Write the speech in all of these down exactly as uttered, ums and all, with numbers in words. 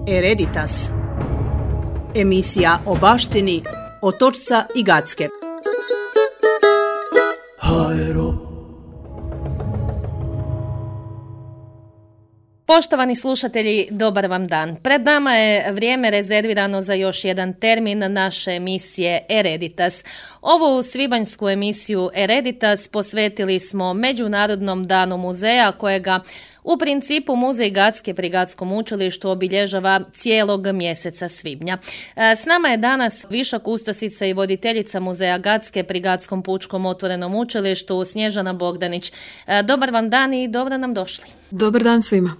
Hereditas. Emisija o baštini Otočca i Gacke. Poštovani slušatelji, dobar vam dan. Pred nama je vrijeme rezervirano za još jedan termin naše emisije Hereditas. Ovu svibanjsku emisiju Hereditas posvetili smo Međunarodnom danu muzeja, kojega u principu Muzej Gacke pri Gatskom učilištu obilježava cijelog mjeseca svibnja. S nama je danas viša kustosica i voditeljica Muzeja Gacke pri Gatskom pučkom otvorenom učilištu Snježana Bogdanić. Dobar vam dan i dobro nam došli. Dobar dan svima.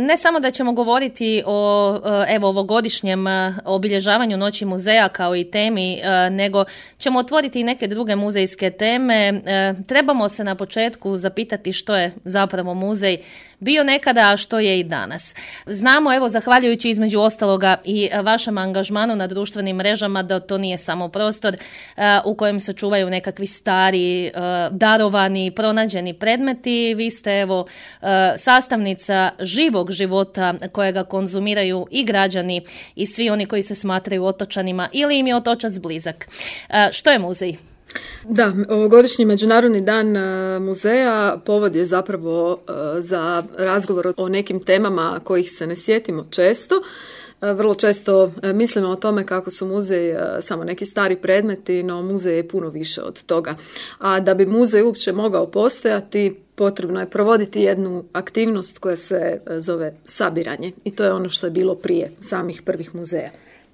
Ne samo da ćemo govoriti o evo ovogodišnjem obilježavanju Noći muzeja kao i temi, nego ćemo otvoriti i neke druge muzejske teme. Trebamo se na početku zapitati što je zapravo muzej bio nekada, a što je i danas. Znamo, evo, zahvaljujući između ostaloga i vašem angažmanu na društvenim mrežama, da to nije samo prostor u kojem se čuvaju nekakvi stari, darovani, pronađeni predmeti. Vi ste, evo, sastavnica živog života kojega konzumiraju i građani i svi oni koji se smatraju otočanima ili im je otočac blizak. Što je muzej? Da, ovogodišnji Međunarodni dan muzeja povod je zapravo za razgovor o nekim temama kojih se ne sjetimo često. Vrlo često mislimo o tome kako su muzeji samo neki stari predmeti, no muzej je puno više od toga. A da bi muzej uopće mogao postojati, potrebno je provoditi jednu aktivnost koja se zove sabiranje. I to je ono što je bilo prije samih prvih muzeja.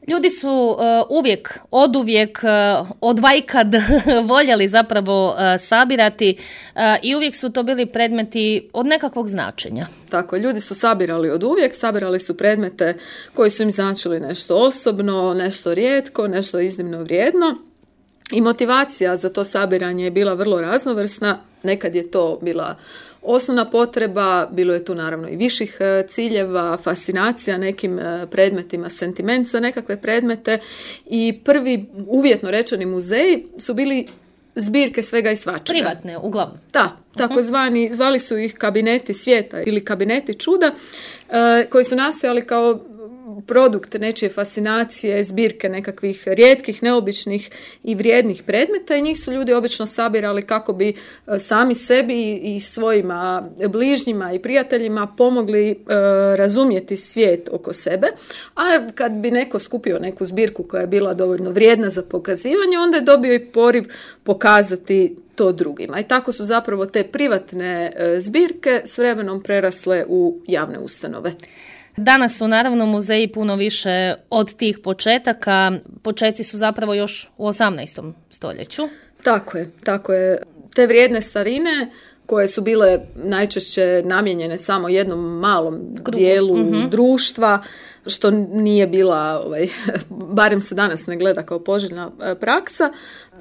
Ljudi su uh, uvijek, oduvijek, uh, odvajkad voljeli zapravo uh, sabirati uh, i uvijek su to bili predmeti od nekakvog značenja. Tako, ljudi su sabirali od uvijek, sabirali su predmete koji su im značili nešto osobno, nešto rijetko, nešto iznimno vrijedno. I motivacija za to sabiranje je bila vrlo raznovrsna. Nekad je to bila osnovna potreba, bilo je tu naravno i viših ciljeva, fascinacija nekim predmetima, sentiment za nekakve predmete i prvi uvjetno rečeni muzeji su bili zbirke svega i svačega. Privatne, uglavnom. Da, takozvani, zvali su ih kabineti svijeta ili kabineti čuda, koji su nastajali kao produkt nečije fascinacije, zbirke nekakvih rijetkih, neobičnih i vrijednih predmeta i njih su ljudi obično sabirali kako bi sami sebi i svojima bližnjima i prijateljima pomogli e, razumjeti svijet oko sebe, a kad bi neko skupio neku zbirku koja je bila dovoljno vrijedna za pokazivanje, onda je dobio i poriv pokazati to drugima. I tako su zapravo te privatne e, zbirke s vremenom prerasle u javne ustanove. Danas su naravno muzeji puno više od tih početaka. Počeci su zapravo još u osamnaestom stoljeću. Tako je, tako je. Te vrijedne starine koje su bile najčešće namijenjene samo jednom malom Krugu. dijelu mm-hmm. društva, što nije bila, ovaj, barem se danas ne gleda kao poželjna praksa,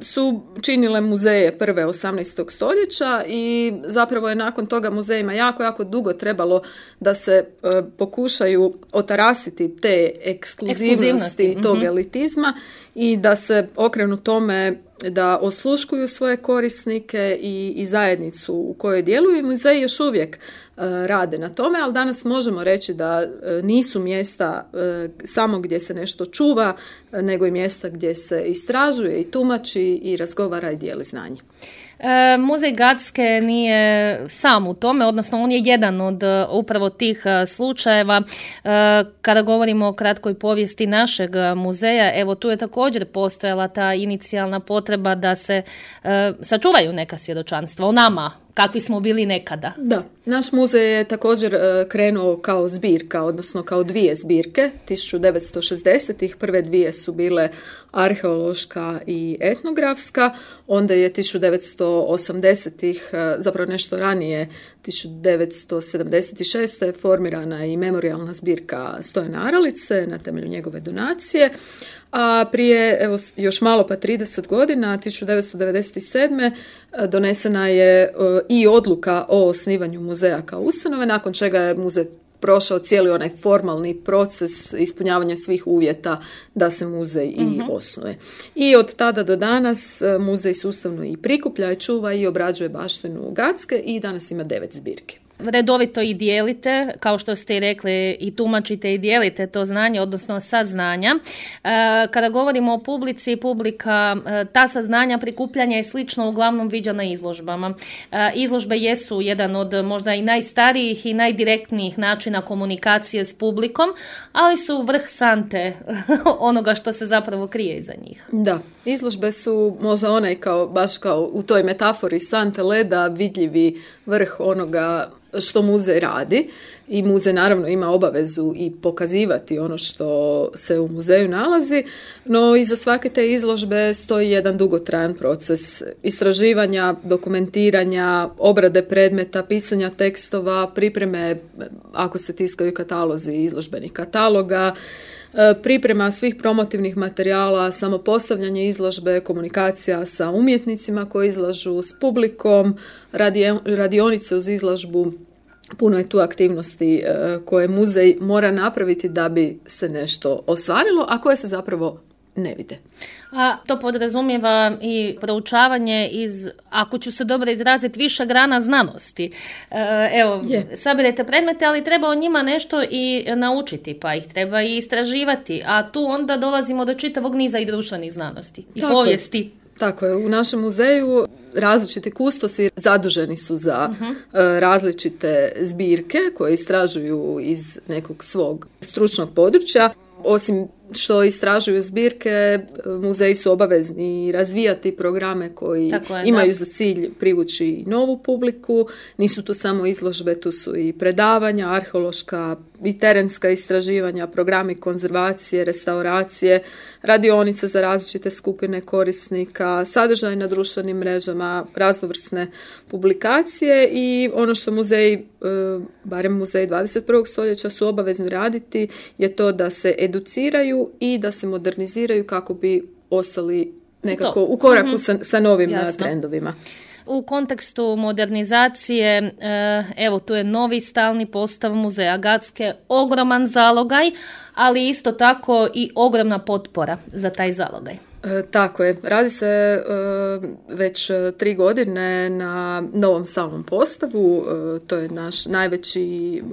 su činile muzeje prve osamnaestog stoljeća i zapravo je nakon toga muzejima jako, jako dugo trebalo da se e, pokušaju otarasiti te ekskluzivnosti, ekskluzivnosti. tog mm-hmm. elitizma i da se okrenu tome da osluškuju svoje korisnike i, i zajednicu u kojoj djeluju i muzeji još uvijek e, rade na tome, ali danas možemo reći da e, nisu mjesta e, samo gdje se nešto čuva, e, nego i mjesta gdje se istražuje i tumači i razgovara i dijeli znanje. E, Muzej Gacke nije sam u tome, odnosno on je jedan od upravo tih slučajeva. E, kada govorimo o kratkoj povijesti našeg muzeja, evo tu je također postojala ta inicijalna potreba da se e, sačuvaju neka svjedočanstva o nama, kakvi smo bili nekada. Da, naš muzej je također e, krenuo kao zbirka, odnosno kao dvije zbirke. tisuću devetsto šezdesetih prve dvije su bile arheološka i etnografska, onda je tisuću devetsto osamdesetih, e, zapravo nešto ranije, tisuću devetsto sedamdeset šeste formirana i memorijalna zbirka Stojana Aralice na temelju njegove donacije. A prije, evo, još malo pa trideset godina, tisuću devetsto devedeset sedme donesena je i odluka o osnivanju muzeja kao ustanove, nakon čega je muzej prošao cijeli onaj formalni proces ispunjavanja svih uvjeta da se muzej i mm-hmm. osnuje. I od tada do danas muzej sustavno i prikuplja, i čuva i obrađuje baštinu Gacke i danas ima devet zbirki. redovito i dijelite, kao što ste i rekli, i tumačite i dijelite to znanje, odnosno saznanja. Kada govorimo o publici, publika ta saznanja, prikupljanja i slično uglavnom viđa na izložbama. Izložbe jesu jedan od možda i najstarijih i najdirektnijih načina komunikacije s publikom, ali su vrh sante onoga što se zapravo krije iza njih. Da, izložbe su možda onaj kao, baš kao u toj metafori sante leda vidljivi vrh onoga što muzej radi i muzej naravno ima obavezu i pokazivati ono što se u muzeju nalazi, no iza svake te izložbe stoji jedan dugotrajan proces istraživanja, dokumentiranja, obrade predmeta, pisanja tekstova, pripreme ako se tiskaju katalozi izložbenih kataloga, priprema svih promotivnih materijala, samopostavljanje izložbe, komunikacija sa umjetnicima koji izlažu, s publikom, radionice uz izložbu. Puno je tu aktivnosti koje muzej mora napraviti da bi se nešto ostvarilo, a koje se zapravo ne vide. A to podrazumijeva i proučavanje iz, ako ću se dobro izraziti, više grana znanosti. E, evo, je. Sabirete predmete, ali treba o njima nešto i naučiti, pa ih treba i istraživati, a tu onda dolazimo do čitavog niza i društvenih znanosti i Tako povijesti. Je. Tako je, u našem muzeju različiti kustosi zaduženi su za uh-huh. različite zbirke koje istražuju iz nekog svog stručnog područja. Osim što istražuju zbirke, muzeji su obavezni razvijati programe koji je, imaju da. za cilj privući novu publiku. Nisu tu samo izložbe, tu su i predavanja, arheološka i terenska istraživanja, programi konzervacije, restauracije, radionice za različite skupine korisnika, sadržaj na društvenim mrežama, raznovrsne publikacije i ono što muzeji, barem muzeji dvadeset prvog stoljeća su obavezni raditi je to da se educiraju i da se moderniziraju kako bi ostali nekako u koraku mm-hmm. sa, sa novim Jasno. trendovima. U kontekstu modernizacije, evo tu je novi stalni postav muzeja Gacke, ogroman zalogaj, ali isto tako i ogromna potpora za taj zalogaj. E, tako je. Radi se e, već tri godine na novom stalnom postavu. E, to je naš najveći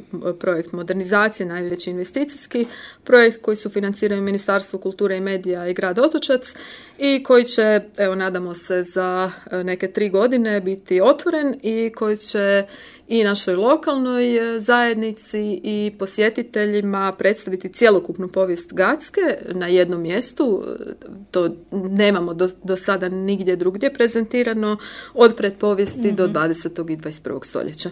projekt modernizacije, najveći investicijski projekt koji su financiraju Ministarstvo kulture i medija i grad Otočac i koji će, evo nadamo se, za neke tri godine biti otvoren i koji će i našoj lokalnoj zajednici i posjetiteljima predstaviti cjelokupnu povijest Gacke na jednom mjestu. To nemamo do, do sada nigdje drugdje prezentirano, od pretpovijesti mm-hmm. do dvadesetog i dvadeset prvog stoljeća.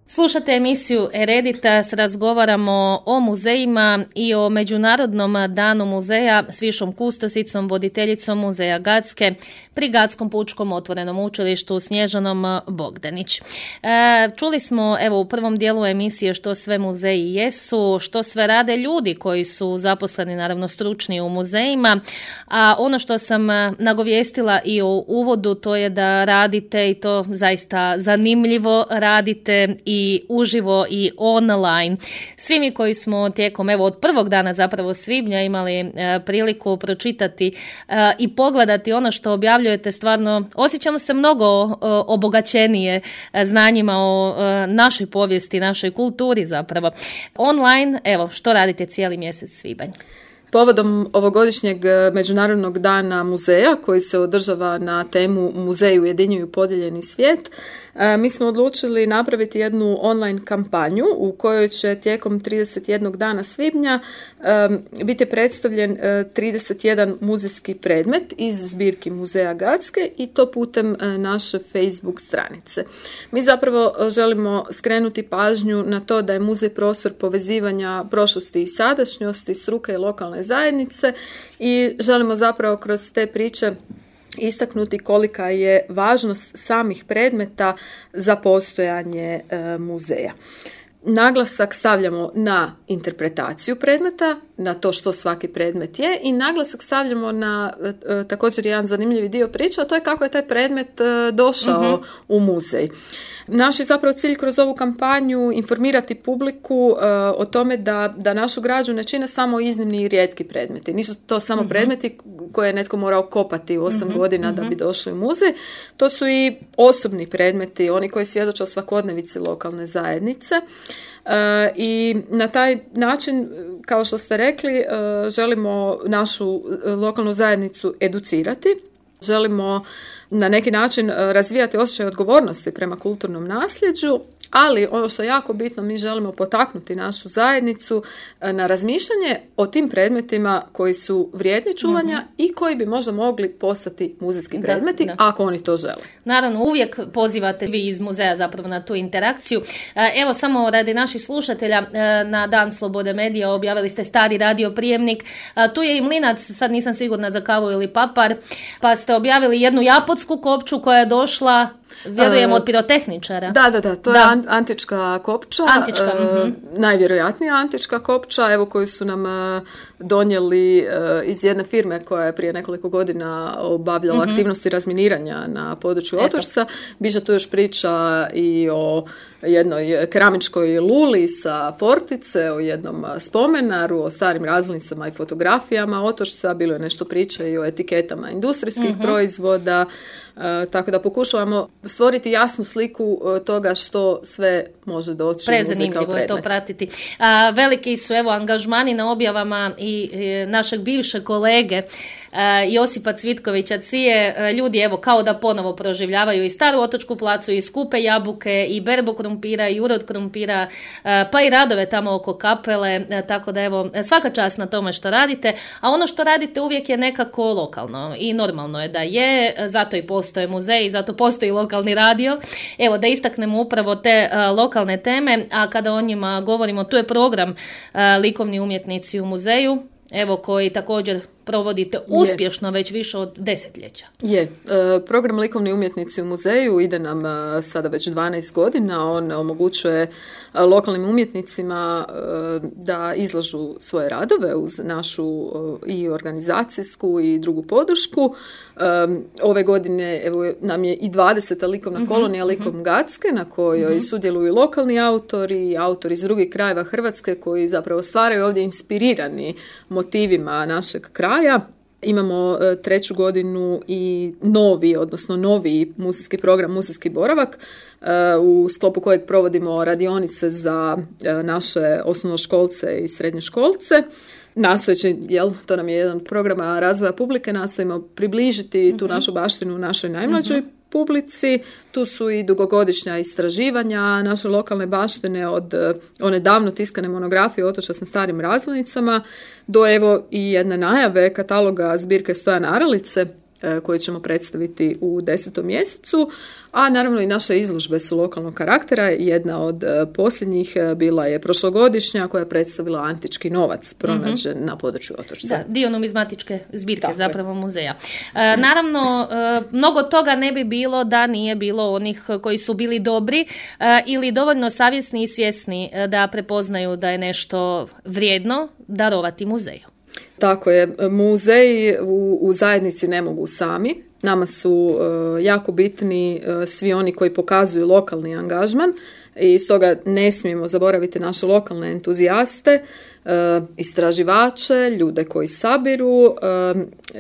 Slušate emisiju Hereditas, razgovaramo o muzejima i o Međunarodnom danu muzeja s višom kustosicom, voditeljicom muzeja Gacke pri Gatskom pučkom otvorenom učilištu Snježanom Bogdanić. E, čuli smo evo u prvom dijelu emisije što sve muzeji jesu, što sve rade ljudi koji su zaposleni, naravno stručni u muzejima, a ono što sam nagovijestila i u uvodu to je da radite i to zaista zanimljivo radite i i uživo i online. Svi mi koji smo tijekom evo od prvog dana zapravo svibnja imali e, priliku pročitati e, i pogledati ono što objavljujete, stvarno osjećamo se mnogo e, obogaćenije e, znanjima o e, našoj povijesti, našoj kulturi zapravo. Online, evo, što radite cijeli mjesec svibanj? Povodom ovogodišnjeg Međunarodnog dana muzeja koji se održava na temu Muzeji ujedinjuju podijeljeni svijet, mi smo odlučili napraviti jednu online kampanju u kojoj će tijekom trideset jednog dana svibnja biti predstavljen trideset jedan muzejski predmet iz zbirki muzeja Gacke i to putem naše Facebook stranice. Mi zapravo želimo skrenuti pažnju na to da je muzej prostor povezivanja prošlosti i sadašnjosti, struke i lokalne zajednice i želimo zapravo kroz te priče istaknuti kolika je važnost samih predmeta za postojanje e, muzeja. Naglasak stavljamo na interpretaciju predmeta, na to što svaki predmet je i naglasak stavljamo na e, također jedan zanimljivi dio priče, a to je kako je taj predmet e, došao uh-huh. u muzej. Naš je zapravo cilj kroz ovu kampanju informirati publiku uh, o tome da, da našu građu ne čine samo iznimni i rijetki predmeti. Nisu to samo uh-huh. predmeti koje je netko morao kopati u osam uh-huh. godina uh-huh. da bi došli u muzej. To su i osobni predmeti, oni koji svjedoče o svakodnevici lokalne zajednice. Uh, I na taj način, kao što ste rekli, uh, želimo našu lokalnu zajednicu educirati. Želimo na neki način razvijati osjećaj odgovornosti prema kulturnom nasljeđu, ali ono što je jako bitno, mi želimo potaknuti našu zajednicu na razmišljanje o tim predmetima koji su vrijedni čuvanja uh-huh. i koji bi možda mogli postati muzejski predmeti, da, da. ako oni to žele. Naravno, uvijek pozivate vi iz muzeja zapravo na tu interakciju. Evo, samo radi naših slušatelja, na Dan Slobode medija objavili ste stari radio prijemnik. Tu je i mlinac, sad nisam sigurna za kavu ili papar, pa ste objavili jednu japotsku kopču koja je došla, vjerujem, od pirotehničara. Da, da, da, to da. je antička kopča. Antička, uh, uh-huh. Najvjerojatnija antička kopča, evo koju su nam uh, donijeli uh, iz jedne firme koja je prije nekoliko godina obavljala uh-huh. aktivnosti razminiranja na području Otočca. Biže tu još priča i o jednoj keramičkoj luli sa Fortice, o jednom spomenaru, o starim razglednicama i fotografijama Otočca, bilo je nešto priče i o etiketama industrijskih uh-huh. proizvoda, uh, tako da pokušavamo stvoriti jasnu sliku uh, toga što sve može doći u muzej kao predmet. Prezanimljivo je to pratiti. A, veliki su evo angažmani na objavama i e, našeg bivšeg kolege e, Josipa Cvitkovića Cije. E, ljudi evo kao da ponovo proživljavaju i Staru Otočku placu, i skupe jabuke, i berbu krumpira, i urod krumpira, e, pa i radove tamo oko kapele, e, tako da evo svaka čast na tome što radite, a ono što radite uvijek je nekako lokalno i normalno je da je, zato i postoje muzeji, zato postoji lokalni radio. Evo da istaknemo upravo te e, lokalne teme, a kada o njima govorimo, tu je program e, Likovni umjetnici u muzeju, evo koji također provodite uspješno je. već više od desetljeća. Je. E, program Likovni umjetnici u muzeju ide nam e, sada već dvanaest godina. On omogućuje e, lokalnim umjetnicima e, da izlažu svoje radove uz našu e, i organizacijsku i drugu podršku. E, ove godine evo, nam je i dvadeseta likovna uh-huh, kolonija Likom uh-huh. Gacke, na kojoj uh-huh. sudjeluju lokalni autori, autori iz drugih krajeva Hrvatske koji zapravo stvaraju ovdje inspirirani motivima našeg kraja. Imamo e, treću godinu i novi, odnosno novi muzejski program, muzejski boravak, e, u sklopu kojeg provodimo radionice za e, naše osnovnoškolce i srednjoškolce. Nastojeći, jel, to nam je jedan program razvoja publike, nastojimo približiti uh-huh. tu našu baštinu našoj najmlađoj uh-huh. publici. Tu su i dugogodišnja istraživanja naše lokalne baštine, od one davno tiskane monografije Otoča sa starim razglednicama do evo i jedne najave kataloga zbirke Stojana Aralice koje ćemo predstaviti u desetom mjesecu, a naravno i naše izložbe su lokalnog karaktera. Jedna od posljednjih bila je prošlogodišnja koja je predstavila antički novac pronađen mm-hmm. na području Otočca. Da, dio numizmatičke zbirke Tako zapravo je. muzeja. E, naravno, e, mnogo toga ne bi bilo da nije bilo onih koji su bili dobri e, ili dovoljno savjesni i svjesni da prepoznaju da je nešto vrijedno darovati muzeju. Tako je, muzeji u, u zajednici ne mogu sami. Nama su uh, jako bitni uh, svi oni koji pokazuju lokalni angažman i stoga ne smijemo zaboraviti naše lokalne entuzijaste, uh, istraživače, ljude koji sabiru uh,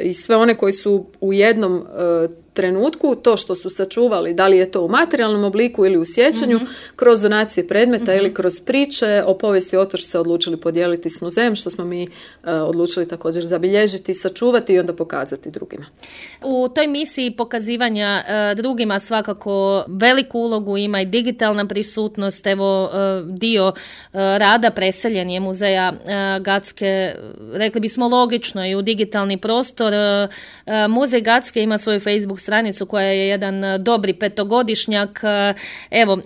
i sve one koji su u jednom uh, trenutku to što su sačuvali, da li je to u materijalnom obliku ili u sjećanju, mm-hmm. kroz donacije predmeta mm-hmm. ili kroz priče o povijesti Otočca odlučili podijeliti s muzejem, što smo mi uh, odlučili također zabilježiti, sačuvati i onda pokazati drugima. U toj misiji pokazivanja uh, drugima svakako veliku ulogu ima i digitalna prisutnost. Evo uh, dio uh, rada preseljen je muzeja uh, Gacke, rekli bismo logično, i u digitalni prostor. Uh, uh, muzej Gacke ima svoju Facebook stranicu koja je jedan dobri petogodišnjak. Evo,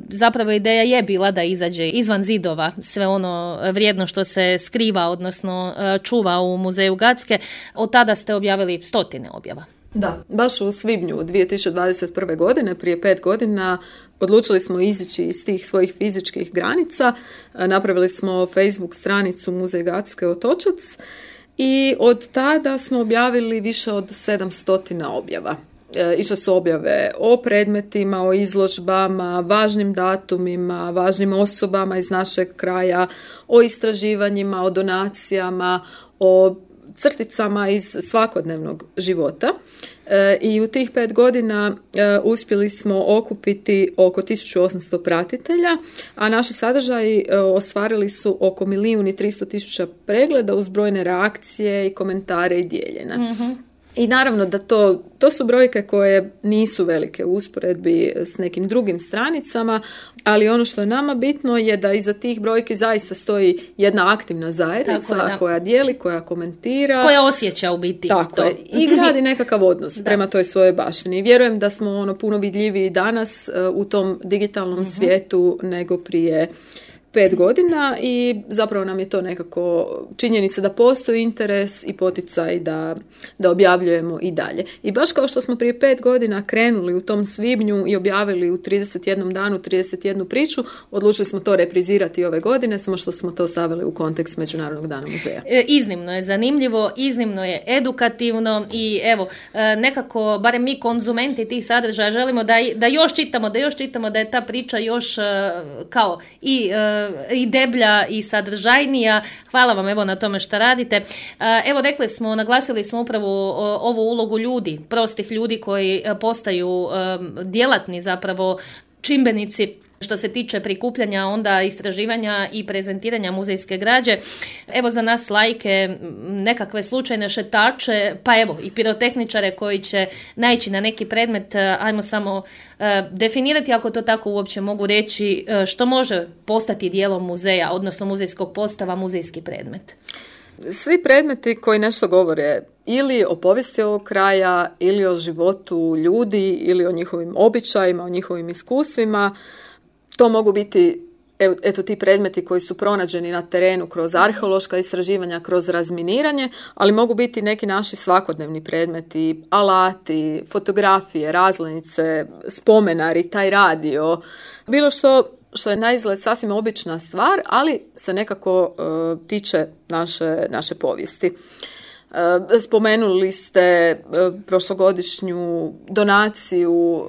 zapravo ideja je bila da izađe izvan zidova sve ono vrijedno što se skriva, odnosno čuva u muzeju Gacke. Od tada ste objavili stotine objava. Da, baš u svibnju dvije tisuće dvadeset prve. godine, prije pet godina, odlučili smo izići iz tih svojih fizičkih granica. Napravili smo Facebook stranicu Muzej Gacke Otočac i od tada smo objavili više od sedamsto objava. E, išle su objave o predmetima, o izložbama, važnim datumima, važnim osobama iz našeg kraja, o istraživanjima, o donacijama, o crticama iz svakodnevnog života. E, I u tih pet godina e, uspjeli smo okupiti oko tisuću osamsto pratitelja, a naši sadržaji e, ostvarili su oko milijun i tristo tisuća pregleda uz brojne reakcije i komentare i dijeljene. Mm-hmm. I naravno da to, to su brojke koje nisu velike u usporedbi s nekim drugim stranicama, ali ono što je nama bitno je da iza tih brojki zaista stoji jedna aktivna zajednica je, koja dijeli, koja komentira. Koja osjeća u biti. Tako to. je. I gradi nekakav odnos prema toj svojoj baštini. Vjerujem da smo ono puno vidljiviji danas uh, u tom digitalnom uh-huh. svijetu nego prije pet godina i zapravo nam je to nekako činjenica da postoji interes i poticaj da, da objavljujemo i dalje. I baš kao što smo prije pet godina krenuli u tom svibnju i objavili u trideset jednom danu trideset jednu priču, odlučili smo to reprizirati ove godine, samo što smo to stavili u kontekst Međunarodnog dana muzeja. E, iznimno je zanimljivo, iznimno je edukativno i evo, nekako, barem mi konzumenti tih sadržaja želimo da, da još čitamo, da još čitamo, da je ta priča još kao i i deblja i sadržajnija. Hvala vam evo na tome što radite. Evo rekli smo, naglasili smo upravo ovu ulogu ljudi, prostih ljudi koji postaju djelatni zapravo čimbenici što se tiče prikupljanja, onda istraživanja i prezentiranja muzejske građe. Evo za nas laike, nekakve slučajne šetače, pa evo i pirotehničare koji će naići na neki predmet, ajmo samo uh, definirati, ako to tako uopće mogu reći, uh, što može postati dijelom muzeja, odnosno muzejskog postava, muzejski predmet. Svi predmeti koji nešto govore ili o povijesti ovog kraja, ili o životu ljudi, ili o njihovim običajima, o njihovim iskustvima, to mogu biti eto ti predmeti koji su pronađeni na terenu kroz arheološka istraživanja, kroz razminiranje, ali mogu biti neki naši svakodnevni predmeti, alati, fotografije, razglednice, spomenari, taj radio, bilo što što je na izgled sasvim obična stvar, ali se nekako uh, tiče naše, naše povijesti. Spomenuli ste prošlogodišnju donaciju,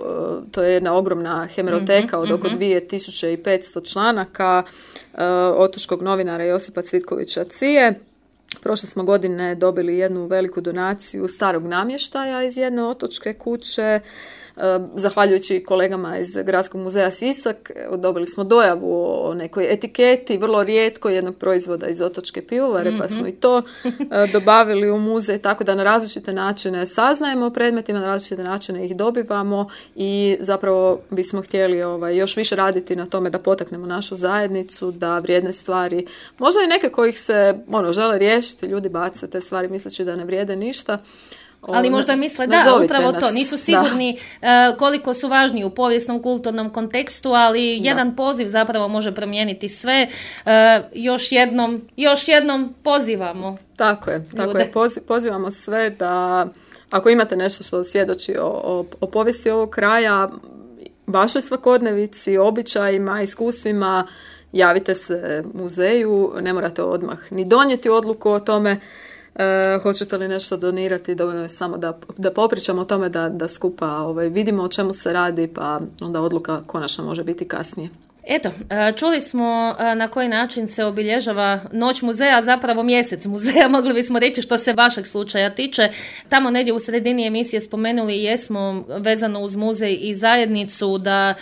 to je jedna ogromna hemeroteka od oko dvije tisuće petsto članaka otočkog novinara Josipa Cvitkovića Cije. Prošle smo godine dobili jednu veliku donaciju starog namještaja iz jedne otočke kuće. Zahvaljujući kolegama iz Gradskog muzeja Sisak, dobili smo dojavu o nekoj etiketi, vrlo rijetko jednog proizvoda iz otočke pivovare, mm-hmm. pa smo i to dobavili u muzej, tako da na različite načine saznajemo o predmetima, na različite načine ih dobivamo i zapravo bismo htjeli ovaj, još više raditi na tome da potaknemo našu zajednicu, da vrijedne stvari, možda i neke kojih se ono, žele riješiti, ljudi bace te stvari misleći da ne vrijede ništa. Ali možda misle da, upravo nas. To, nisu sigurni uh, koliko su važni u povijesnom, kulturnom kontekstu, ali da. Jedan poziv zapravo može promijeniti sve. Uh, još jednom, još jednom pozivamo. Tako je, tako je. Poziv, pozivamo sve da ako imate nešto što svjedoči o, o, o povijesti ovog kraja, vašoj svakodnevici, običajima, iskustvima, javite se muzeju, ne morate odmah ni donijeti odluku o tome. Uh, hoćete li nešto donirati, dovoljno je samo da, da popričamo o tome, da, da skupa ovaj, vidimo o čemu se radi, pa onda odluka konačno može biti kasnije. Eto, čuli smo na koji način se obilježava Noć muzeja, zapravo mjesec muzeja, mogli bismo reći što se vašeg slučaja tiče. Tamo negdje u sredini emisije spomenuli jesmo vezano uz muzej i zajednicu da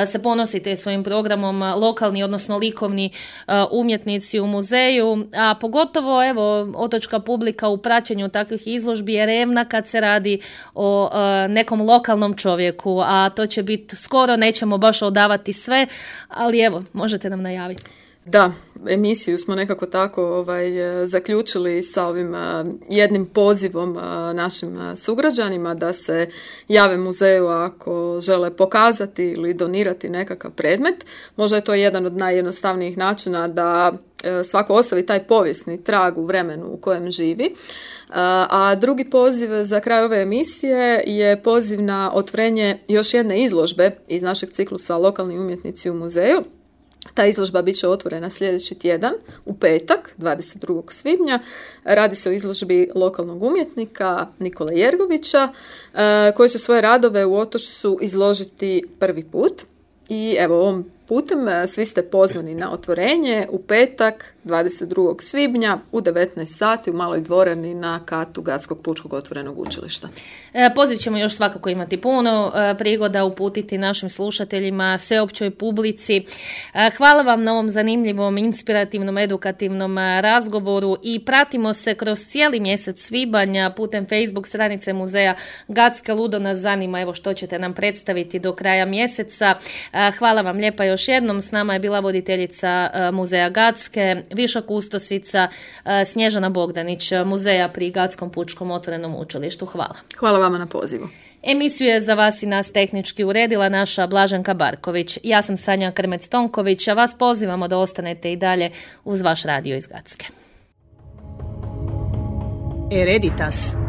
se ponosite svojim programom lokalni, odnosno likovni umjetnici u muzeju, a pogotovo evo otočka publika u praćenju takvih izložbi je revna kad se radi o nekom lokalnom čovjeku, a to će biti skoro, nećemo baš odavati sve, ali evo, možete nam najaviti. Da, emisiju smo nekako tako ovaj, zaključili sa ovim uh, jednim pozivom uh, našim uh, sugrađanima da se jave muzeju ako žele pokazati ili donirati nekakav predmet. Možda je to jedan od najjednostavnijih načina da svako ostavi taj povijesni trag u vremenu u kojem živi. A drugi poziv za kraj ove emisije je poziv na otvorenje još jedne izložbe iz našeg ciklusa Lokalni umjetnici u muzeju. Ta izložba bit će otvorena sljedeći tjedan, u petak, dvadeset drugog svibnja. Radi se o izložbi lokalnog umjetnika Nikole Jergovića, koji će svoje radove u Otočcu izložiti prvi put. I evo, ovom putem svi ste pozvani na otvorenje u petak, dvadeset drugog svibnja u devetnaest sati u maloj dvorani na katu Gatskog pučkog otvorenog učilišta. E, poziv ćemo još svakako imati puno e, prigoda uputiti našim slušateljima, sveopćoj publici. E, hvala vam na ovom zanimljivom, inspirativnom, edukativnom razgovoru i pratimo se kroz cijeli mjesec svibanja putem Facebook stranice muzeja Gatska. Ludo nas zanima, evo što ćete nam predstaviti do kraja mjeseca. E, hvala vam lijepa još jednom. S nama je bila voditeljica e, muzeja Gatske, viša kustosica Snježana Bogdanić, muzeja pri Gatskom pučkom otvorenom učilištu. Hvala. Hvala vama na pozivu. Emisiju je za vas i nas tehnički uredila naša Blaženka Barković. Ja sam Sanja Krmec-Tonković, a vas pozivamo da ostanete i dalje uz vaš radio iz Gatske. Hereditas.